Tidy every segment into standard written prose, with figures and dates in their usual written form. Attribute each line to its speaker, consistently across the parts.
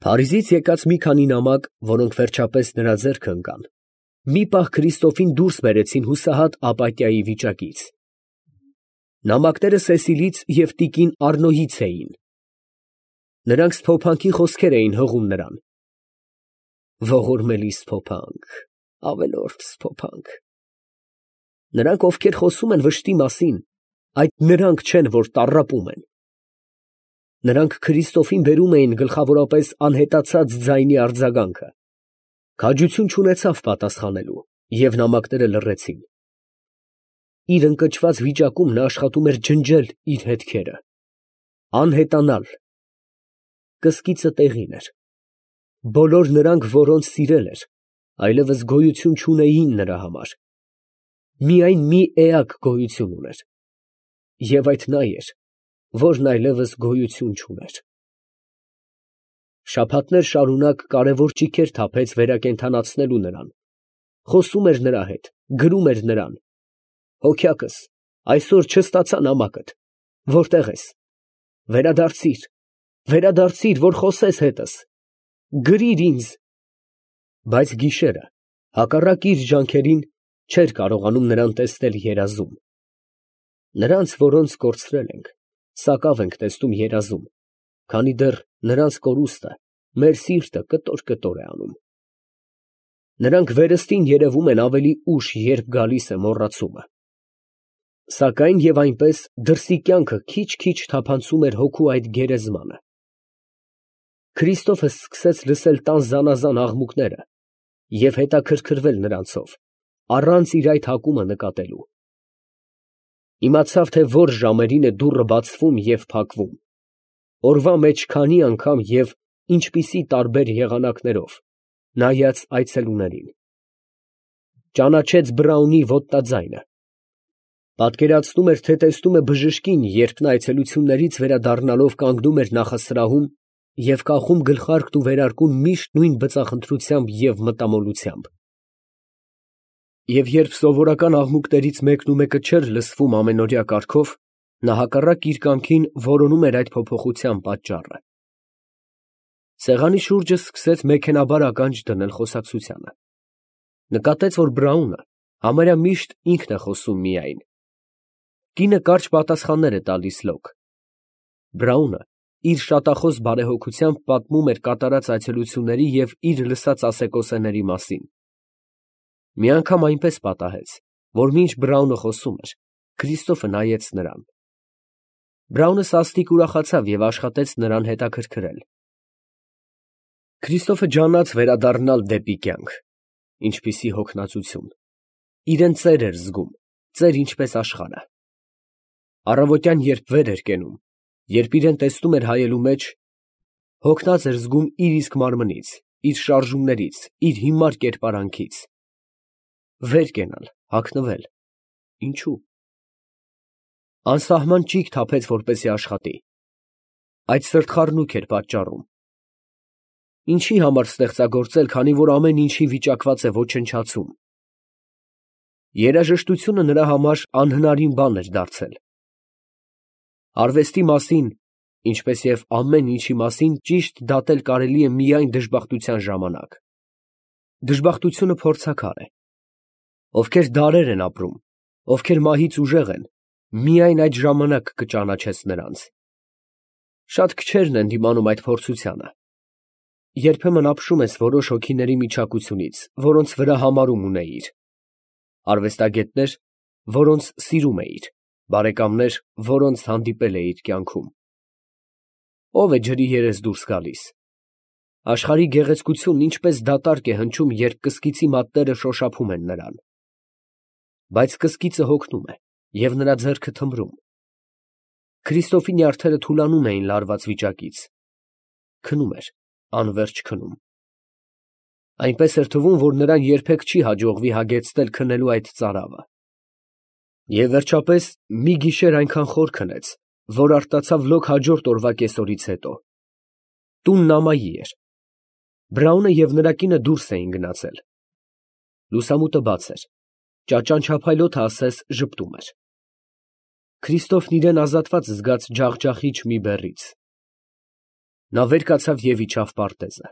Speaker 1: Փարիզից եկած մի քանի նամակ, որոնք վերջապես նրա ձեռքը ընկան, մի պահ Քրիստոֆին դուրս բերեցին հուսահատ ապաթիայի վիճակից։ Նամակները Սեսիլից և տիկին Առնոյից էին։ Նրանք սփոփանքի խոսքեր էին հղում նրան. ողորմելի սփոփանք, ավելորդ սփոփանք։ Նրանք, ովքեր խոսում են վշտի մասին, այդ նրանք չեն, որ տառապում են։ Նրանք Քրիստոֆին բերում էին գլխավորապես անհետացած ձայնի արձագանքը։ Քաջություն չունեցավ պատասխանելու, և նամակները լռեցին։ Իր ընկճված վիճակում նա աշխատում էր ջնջել իր հետքերը, անհետանալ։ Կսկիծը տեղին էր։ Բոլոր նրանք, որոնց սիրել էր, այլևս գոյություն չունեին նրա համար։ Միայն մի էակ գոյություն ուներ, և այդ նա էր, որն այլևս գոյություն չուներ։ Շաբաթներ շարունակ կարևոր ճիգեր թափեց վերակենդանացնելու նրան, խոսում էր նրա հետ, գրում էր նրան. հոգյակս, այսօր չստացա նամակդ, որտե՞ղ ես, վերադարձիր, վերադարձիր, որ խոսես հետս, գրիր ինձ։ Բայց գիշերը, հակառակ իր ջանքերին, չէր կարողանում նրան տեսնել երազում։ Նրանց, որոնց կորցրել ենք, սակավ ենք տեսնում երազում, քանի դեռ նրանց կորուստը մեր սիրտը կտոր է անում։ Նրանք վերստին երևում են ավելի ուշ, երբ գալիս է մոռացումը։ Սակայն և այնպես դրսի կյանքը քիչ֊քիչ թափանցում էր հոգու այդ գերեզմանը։ Քրիստոֆը սկսեց լսել տան զանազան աղմուկները և հետաքրքրվել նրանցով, առանց իր այդ հակումը նկատելու։ Իմացավ, թե որ ժամերին է դուռը բացվում և փակվում, օրվա մեջ քանի անգամ և ինչպիսի տարբեր եղանակներով, նայած այցելուներին։ Ճանաչեց Բրաունի ոտնաձայնը։ Պատկերացնում էր, թե տեսնում է բժշկին, երբ նա այցելություններից վերադառնալով կանգնում էր նախասրահում և կախում գլխարկն ու վերարկուն միշտ նույն բծախնդրությամբ և մտամոլությամբ։ Եվ երբ սովորական աղմուկներից մեկն ու մեկը չէր լսվում ամենօրյա կարգով, նա հակառակ իր կամքին որոնում էր այդ փոփոխության պատճառը։ Սեղանի շուրջը սկսեց մեքենայաբար ականջ դնել խոսակցությանը։ Նկատեց, որ Բրաունը համարյա միշտ ինքն է խոսում միայն։ Կինը կարճ պատասխաններ է տալիս լոկ։ Բրաունը իր շատախոս բարեհոգությամբ պատմում էր կատարած այցելությունների և իր լսած ասեկոսեների մասին։ Մի անգամ այնպես պատահեց, որ մինչ Բրաունը խոսում էր, Քրիստոֆը նայեց նրան։ Բրաունը սաստիկ ուրախացավ և աշխատեց նրան հետաքրքրել։ Քրիստոֆը ջանաց վերադառնալ դեպի կյանք։ Ինչպիսի հոգնածություն։ Իրան ծեր էր զգում, ծեր ինչպես աշխարհը։ Առավոտյան երբ վեր էր կենում, երբ իրան տեսնում էր հայելու մեջ, հոգնած էր զգում իր իսկ մարմնից, իր շարժումներից, իր հիմար կերպարանքից։ Վեր կենալ, հագնվել, ինչո՞ւ։ Անսահման ճիգ թափեց, որպեսզի աշխատի։ Այդ սրտխառնոք էր պատճառում։ Ինչի համար ստեղծագործել, քանի որ ամեն ինչի վիճակված է ոչնչացում։ Երաժշտությունը նրա համար անհնարին բան էր դարձել։ Արվեստի մասին, ինչպես և ամեն ինչի մասին, ճիշտ դատել կարելի է միայն դժբախտության ժամանակ։ Դժբախտությունը փորձաքար է։ Ովքեր դարեր են ապրում, ովքեր մահից ուժեղ են, միայն այդ ժամանակ կճանաչես նրանց։ Շատ քչերն են դիմանում այդ փորձությանը։ Երբեմն ապշում ես որոշ հոգիների միջակությունից, որոնց վրա համարում ունեիր, արվեստագետներ, որոնց սիրում էիր, բարեկամներ, որոնց հանդիպել էիր կյանքում։ Ո՞վ է ջրի երես դուրս գալիս։ Աշխարհի գեղեցկությունն ինչպես դատարկ է հնչում, երբ կսկիծի մատները շոշափում են նրան։ Բայց կսկիծը հոգնում է, և նրա ձեռքը թմրում։ Քրիստոֆի նյարդերը թուլանում էին լարված վիճակից։ Քնում էր, անվերջ քնում։ Այնպես էր թվում, որ նրան երբեք չի հաջողվի հագեցնել քնելու այդ ծարավը։ Եվ վերջապես մի գիշեր այնքան խոր քնեց, որ արտացավ լոկ հաջորդ օրվա կեսօրից հետո։ Տունն ամայի էր։ Բրաունը և նրա կինը դուրս էին գնացել։ Լուսամուտը բաց էր։ Ճաճանչափայլոթը ասես ժպտում էր։ Քրիստոֆն իրան ազատված զգաց ջախջախիչ մի բեռից։ Նա վեր կացավ և իջավ պարտեզը։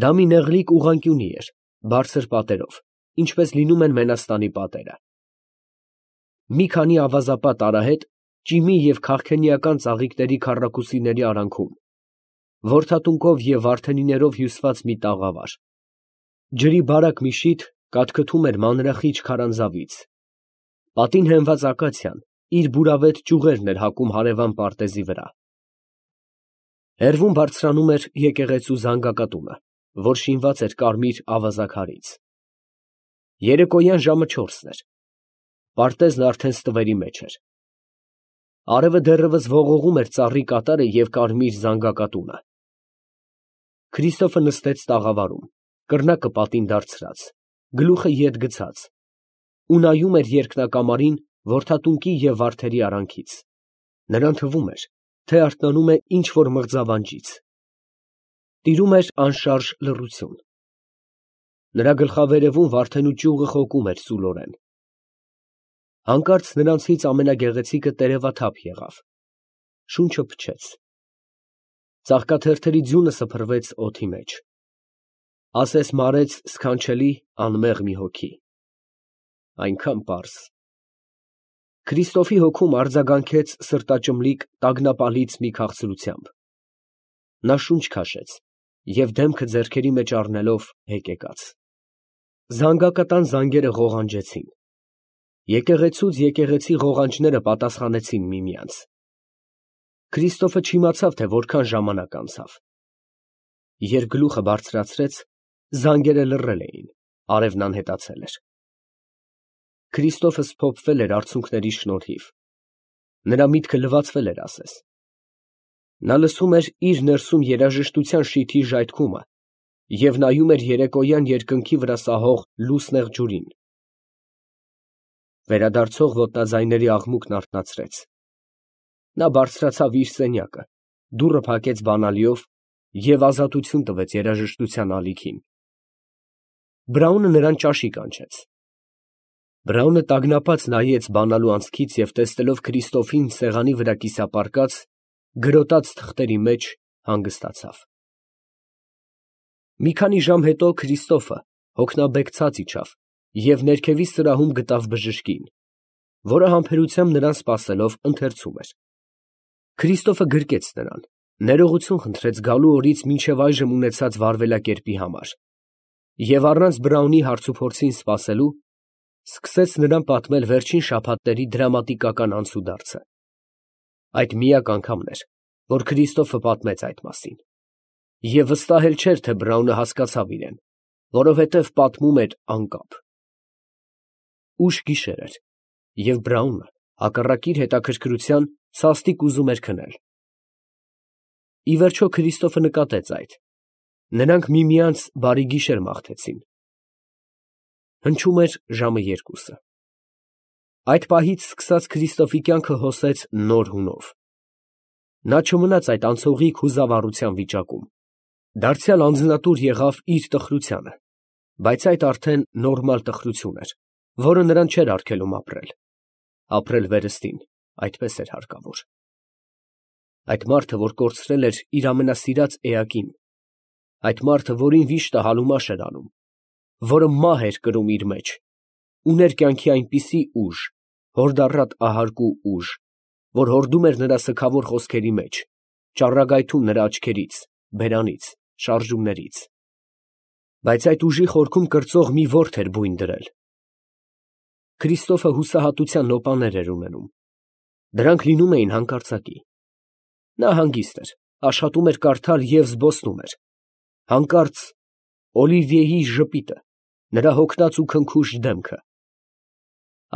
Speaker 1: Դա մի նեղլիկ ուղղանկյունի էր, բարձր պատերով, ինչպես լինում են Մենաստանի պատերը։ Մի քանի ավազապատ արահետ ճիմի և քաղքենիական ծաղիկների քառակուսիների արանքում, որդատունկով և վարդենիներով հյուսված մի տաղավար, ջրի բարակ մի շիթ կաթքթում էր մանրախիճ քարանձավից, պատին հենված ակացիան իր բուրավետ ճյուղերն էր հակում հարևան պարտեզի վրա։ Հեռվում բարձրանում էր եկեղեցու զանգակատունը, որ շինված էր կարմիր ավազաքարից։ Երեկոյան ժամը 4-ն էր։ Պարտեզն արդեն ստվերի մեջ էր։ Արևը դեռևս ողողում էր ծառի կատարը և կարմիր զանգակատունը։ Քրիստոֆը նստեց տաղավարում, կռնակը պատին դարձրած, գլուխը ետ գցած, ու նայում էր երկնակամարին որդատունկի և վարդերի արանքից։ Նրան թվում էր, թե արթնանում է ինչ֊որ մղձավանջից։ Տիրում էր անշարժ լռություն։ Նրա գլխավերևում վարդենու ճյուղը խոկում էր սուլորեն։ Հանկարծ նրանցից ամենագեղեցիկը տերևաթափ եղավ, շունչը փչեց, ծաղկաթերթերի ձյունը սփռվեց օդի մեջ, ասես մարեց սքանչելի անմեղ մի հոգի, այնքան պարզ։ Քրիստոֆի հոգում արձագանքեց սրտաճմլիկ տագնապալից մի քաղցրությամբ։ Նա շունչ քաշեց և դեմքը ձեռքերի մեջ առնելով հեկեկաց։ Զանգակատան զանգերը ղողանջեցին։ Եկեղեցուց եկեղեցի ղողանջները պատասխանեցին միմյանց։ Քրիստոֆը չիմացավ, թե որքան ժամանակ անցավ։ Երբ գլուխը բարձրացրեց, զանգերը լռել էին, արևն անհետացել էր։ Քրիստոֆը սփոփվել էր արցունքների շնորհիվ։ Նրա միտքը լվացվել էր ասես։ Նա լսում էր իր ներսում երաժշտության շիթի ժայթքումը և նայում էր երեկոյան երկնքի վրա սահող լուսնեղ ջուրին։ Վերադարձող ոտնաձայների աղմուկն արթնացրեց։ Նա բարձրացավ իր սենյակը, դուռը փակեց բանալիով և ազատություն տվեց երաժշտության ալիքին։ Բրաունը նրան ճաշի կանչեց։ Բրաունը տագնապած նայեց բանալու անցքից և տեսնելով Քրիստոֆին սեղանի վրա կիսապարկած, գրոտած թղթերի մեջ, հանգստացավ։ Մի քանի ժամ հետո Քրիստոֆը հոգնաբեկցած իջավ և ներքևի սրահում գտավ բժշկին, որը համբերությամբ նրան սպասելով ընթերցում էր։ Քրիստոֆը գրկեց նրան, ներողություն խնդրեց գալու օրից մինչև այժմ ունեցած վարվելակերպի համար և առանց Բրաունի հարցուփորձին սպասելու, սկսեց նրան պատմել վերջին շաբաթների դրամատիկական անցուդարձը։ Այդ միակ անգամն էր, որ Քրիստոֆը պատմեց այդ մասին, և վստահել չէր, թե Բրաունը հասկացավ իրեն, որովհետև պատմում էր անկապ։ Ուշ գիշեր էր, և Բրաունը, հակառակ իր հետաքրքրության, սաստիկ ուզում էր քնել։ Ի վերջո Քրիստոֆը նկատեց այդ. նրանք միմյանց բարի գիշեր մաղթեցին։ Հնչում էր ժամը 2։ Այդ պահից սկսած Քրիստոֆի կյանքը հոսեց նոր հունով։ Նա չմնաց այդ անցողիկ հուզավառության վիճակում։ Դարձյալ անձնատուր եղավ իր տխրությանը, բայց այդ արդեն նորմալ տխրություն էր, որը նրան չէր արգելում ապրել։ Ապրել վերստին, այդպես էր հարկավոր։ Այդ մարդը, որ կորցրել էր իր ամենասիրած էակին, այդ մարդը, որին վիշտը հալումաշ էր անում, որը մահ էր կրում իր մեջ, ուներ կյանքի այնպիսի ուժ, հորդառատ ահարկու ուժ, որ հորդում էր նրա սգավոր խոսքերի մեջ, ճառագայթում նրա աչքերից, բերանից, շարժումներից։ Բայց այդ ուժի խորքում կրծող մի ворթ էր բույն դրել։ Քրիստոֆը հուսահատության նոպաներ էր ունենում։ Դրանք լինում էին հանկարծակի։ Նա հանգիստ էր, աշխատում էր կարդալ և զբոսնում էր։ Հանկարծ Օլիվիեի ժպիտը, նրա հոգնած ու քնքուշ դեմքը,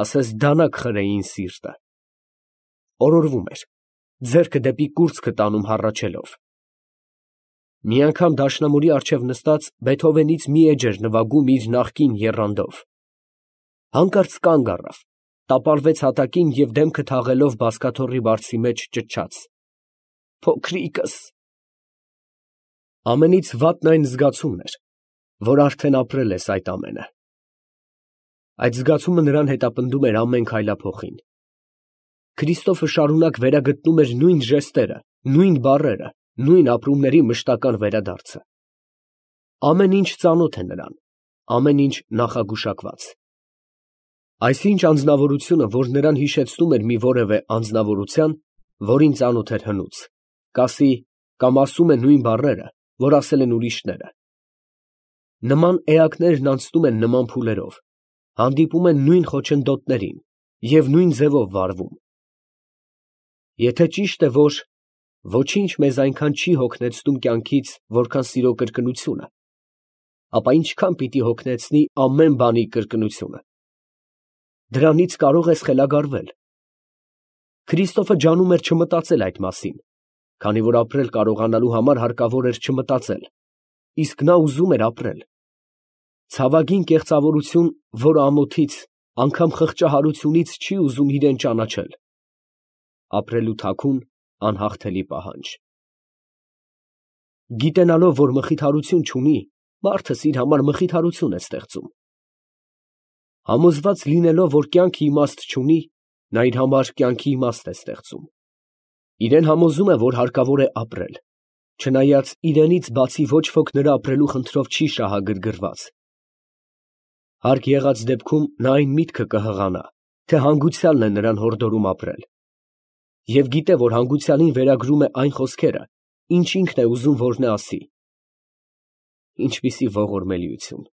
Speaker 1: ասես դանակ խրեին սիրտը։ Օրորվում էր, ձեռքը դեպի կուրծքը տանում հառաչելով։ Մի անգամ դաշնամուրի առջև նստած Բեթհովենից մի էջ էր նվագում իր նախկին եռանդով։ Հանկարծ կանգ առավ, տապալվեց հատակին և դեմքը թաղելով բազկաթոռի բարձի մեջ ճչաց. «Փոքրիկս»։ Ամենից վատն այն զգացումն էր, որ արդեն ապրել ես այդ ամենը։ Այդ զգացումը նրան հետապնդում էր ամեն քայլափոխին։ Քրիստոֆը շարունակ վերագտնում էր նույն ժեստերը, նույն բառերը, նույն ապրումների մշտական վերադարձը։ Ամեն ինչ ծանոթ է նրան, ամեն ինչ նախագուշակված։ Այսինչ անձնավորությունը, որ նրան հիշեցնում էր մի որևէ անձնավորության, որին ծանոթ էր հնուց, կասի կամ ասում է նույն բառերը, որ ասել են ուրիշները։ Նման էակներն անցնում են նման փուլերով, հանդիպում են նույն խոչընդոտներին և նույն ձևով վարվում։ Եթե ճիշտ է, որ ոչինչ մեզ այնքան չի հոգնեցնում կյանքից, որքան սիրո կրկնությունը, ապա ինչքան պիտի հոգնեցնի ամեն բանի կրկնությունը։ Դրանից կարող ես խելագարվել։ Քրիստոֆը ջանում էր չմտածել այդ մասին, քանի որ ապրել կարողանալու համար հարկավոր էր չմտածել, իսկ նա ուզում էր ապրել։ Ցավագին կեղծավորություն, որը ամոթից, անգամ խղճահարությունից չի ուզում իրեն ճանաչել։ Ապրելու թաքուն, անհաղթելի պահանջ։ Գիտենալով, որ մխիթարություն չունի, մարդս իր համար մխիթարություն է ստեղծում։ Համոզված լինելով, որ կյանքը իմաստ չունի, նա իր համար կյանքի իմաստ է ստեղծում։ Իրեն համոզում է, որ հարկավոր է ապրել, չնայած իրենից բացի ոչ ոք նրա ապրելու խնդրով չի շահագրգռված։ Հարկ եղած դեպքում նա այն միտքը կհղանա, թե հանգուցյալն է նրան հորդորում ապրել, և գիտե, որ հանգուցյալին վերագրում է այն խոսքերը, ինչ ինքն է ուզում, որ նա ասի։ Ինչպիսի ողորմելիություն։